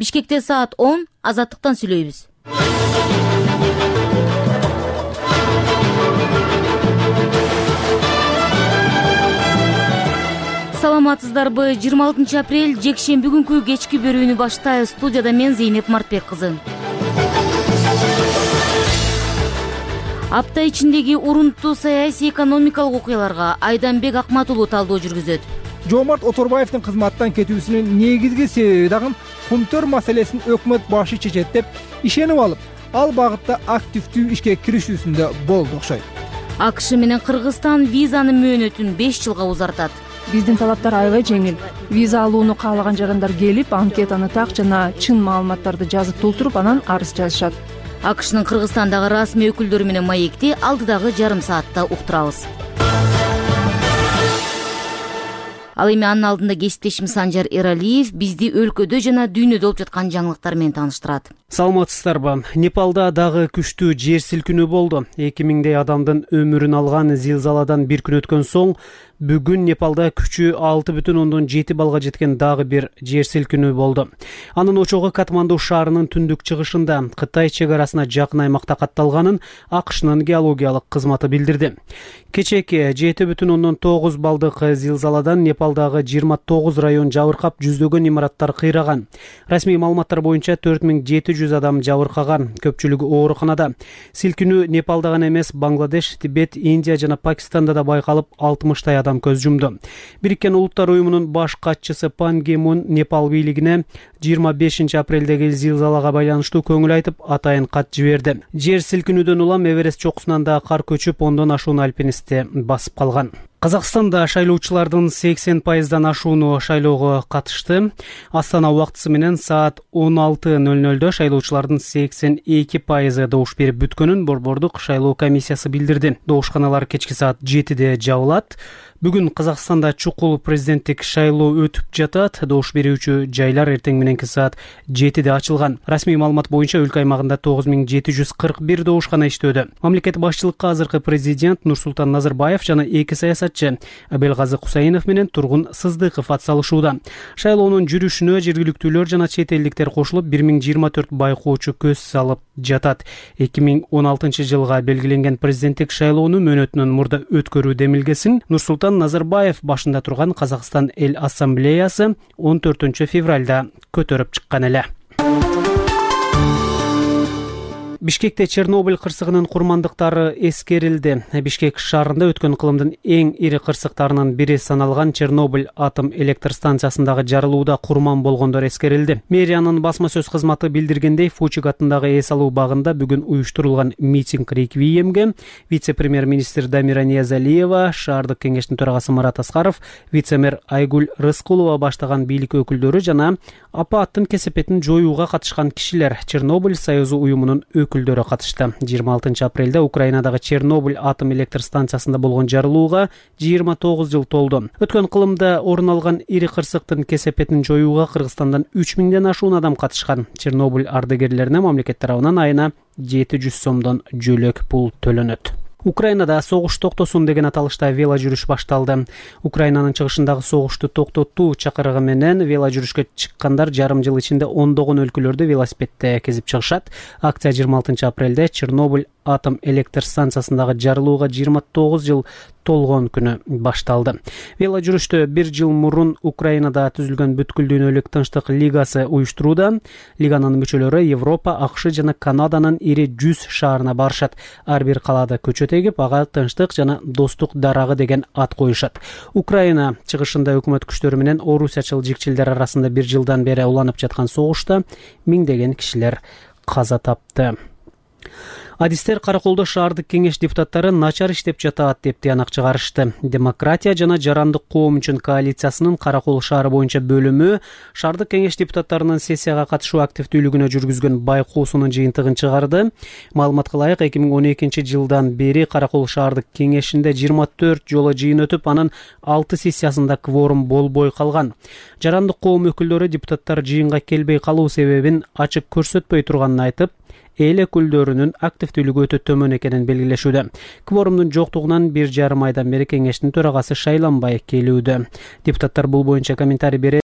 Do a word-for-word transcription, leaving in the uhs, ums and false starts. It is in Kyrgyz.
Бишкекте саат он, Азаттыктан сүйлөйбүз. Саламатсыздарбы? жыйырма алтынчы апрель жекшемби күнкү кечки берүүнү баштайбыз. Студияда мен Зейнеп Мартбек кызы. Апта ичиндеги урунттуу саясий экономикалык окуяларга Айданбек Акматулуу талдоо жүргүзөт. Жоомарт Оторбаевдин кызматтан кетүүсүнүн негизги себеби дагы кумтөр маселесин өкмөт башы чечет деп ишенип алып, ал багытта активдүү ишке киришүүсүндө болду окшойт. АКШ менен Кыргызстан визанын мөөнөтүн беш жылга узартат. Биздин талаптар аябай жеңил. Виза алууну каалаган жарандар келип, анкетаны так жана чын маалыматтарды жазып толтуруп, анан арыз жазышат. АКШнын Кыргызстандагы расмий өкүлдөрү менен маекти алдыдагы жарым саатта уктурабыз. Ал эми анын алдында кесиптешим Санжар Эралиев бизди өлкөдө жана дүйнөдө болуп жаткан жаңылыктар менен тааныштырат. Саламатсыздарбы? Непалда дагы күчтүү жер силкинүү болду. эки миңдей адамдын өмүрүн алган зилзаладан бир күн өткөн соң бүгүн Непалда күчү алты бүтүн ондон жети балга жеткен дагы бир жер силкинүү болду. Анын очогу Катманду шаарынын түндүк чыгышында Кытай чек арасына жакын аймакта катталганын АКШнын геологиялык кызматы билдирди. Кечээки жети бүтүн ондон тогуз балдык зилзаладан Непалдагы жыйырма тогуз район жабыркап, жүздөгөн имараттар кыйраган. Расмий маалыматтар боюнча төрт миң жети жүз адам жабыркаган, көпчүлүгү ооруканада. Силкинүү Непалда гана эмес, Бангладеш, Тибет, Индия жана Пакистанда да байкалып, алтымыштай адам көз жумду. Бириккен Улуттар уюмунун баш катчысы Пан Ги Мун Непал бийлигине жыйырма бешинчи апрелдеги зилзалага байланыштуу көңүл айтып, атайын кат жиберди. Жер силкинүүдөн улам Эверест чокусунан да кар көчүп, ондон ашуун альпинистти басып калган. Казакстанда шайлоочулардын сексен пайыздан ашууну шайлоого катышты. Астана убактысы менен саат он алты ноль нольдө шайлоочулардын сексен эки пайызы добуш берип бүткөнүн Борбордук шайлоо комиссиясы билдирди. Добушканалар кечки саат жетиде жабылат. Бүгүн Казакстанда чукул президенттик шайлоо өтүп жатат. Добуш берүүчү жайлар эртең мененки саат жетиде ачылган. Расмий маалымат боюнча өлкө аймагында тогуз миң жети жүз кырк бир добушкана иштөөдө. Мамлекет башчылыкка азыркы президент Нурсултан Назарбаев жана эки саясатчы Абелгазы Кусаинов менен Тургун Сыздыков атсалышууда. Шайлоонун жүрүшүнө жергиликтүүлөр жана чет элдиктер кошулуп, бир миң жыйырма төрт байкоочу көз салып жатат. эки миң он алтынчы жылга белгиленген президенттик шайлоону мөөнөтүнөн мурда өткөрүү демилгесин Нурсултан Назарбаев башында турган Казакстан эл ассамблеясы он төртүнчү февралда көтөрүп чыккан эле. Бишкекте Чернобыль кырсыгынын курмандыктары эскерилди. Бишкек шаарында өткөн кылымдын эң ири кырсыктарынын бири саналган Чернобыль атом электр станциясындагы жарылууда курман болгондор эскерилди. Мэриянын басма сөз кызматы билдиргендей, Фучик атындагы эс алуу багында бүгүн уюштурулган митинг реквиемге вице-премьер-министр Дамира Ниязалиева, шаардык кеңештин төрагасы Марат Аскаров, вице-мэр Айгүл Рыскулова баштаган бийлик өкүлдөрү жана апаттын кесепетин жоюуга катышкан кишилер Чернобыль союзу уюмунун өкүлдөрү катышты. жыйырма алтынчы апрелде Украинадагы Чернобыль атом электр станциясында болгон жарылууга жыйырма тогуз жыл толду. Өткөн кылымда орун алган ири кырсыктын кесепетин жоюуга Кыргызстандан үч миңден ашуун адам катышкан. Чернобыль ардагерлерине мамлекет тарабынан айына жети жүз сомдон жөлөк пул төлөнөт. Украинада согуш токтосун деген аталышта вело жүрүш башталды. Украинанын чыгышындагы согушту токтотуу чакырыгы менен вело жүрүшкө чыккандар жарым жыл ичинде ондогон өлкөлөрдө велосипедте кезип чыгышат. Акция жыйырма алтынчы апрелде Чернобыль атом электр станциясындагы жарылууга жыйырма тогуз жыл толгон күнү башталды. Вело жүрүштө бир жыл мурун Украинада түзүлгөн бүткүл дүйнөлүк тынчтык лигасы уюштурууда. Лиганын мүчөлөрү Европа, АКШ жана Канаданын ири жүз шаарына барышат. Ар бир калаада көчөт эгип, ага тынчтык жана достук дарагы деген ат коюшат. Украина чыгышында өкмөт күчтөрү менен орусиячыл жикчилдер арасында бир жылдан бери уланып жаткан согушта миңдеген кишилер каза тапты. Адистер Караколдо шаардык кеңеш депутаттары начар иштеп жатат деп тыянак чыгарышты. Демократия жана жарандык коом үчүн коалициясынын Каракол шаары боюнча бөлүмү шаардык кеңеш депутаттарынын сессияга катышуу активдүүлүгүнө жүргүзгөн байкоосунун жыйынтыгын чыгарды. Маалыматка ылайык, эки миң он экинчи жылдан бери Каракол шаардык кеңешинде жыйырма төрт жолу жыйын өтүп, анын алты сессиясында кворум болбой калган. Жарандык коом өкүлдөрү депутаттар жыйынга келбей калуу себебин ачык көрсөтпөй турганын айтып, эл өкүлдөрүнүн активдүүлүгү өтө төмөн экенин белгилешүүдө. Кворумдун жоктугунан бир жарым айдан бери кеңештин төрагасы шайланбай келүүдө. Депутаттар бул боюнча комментарий берет.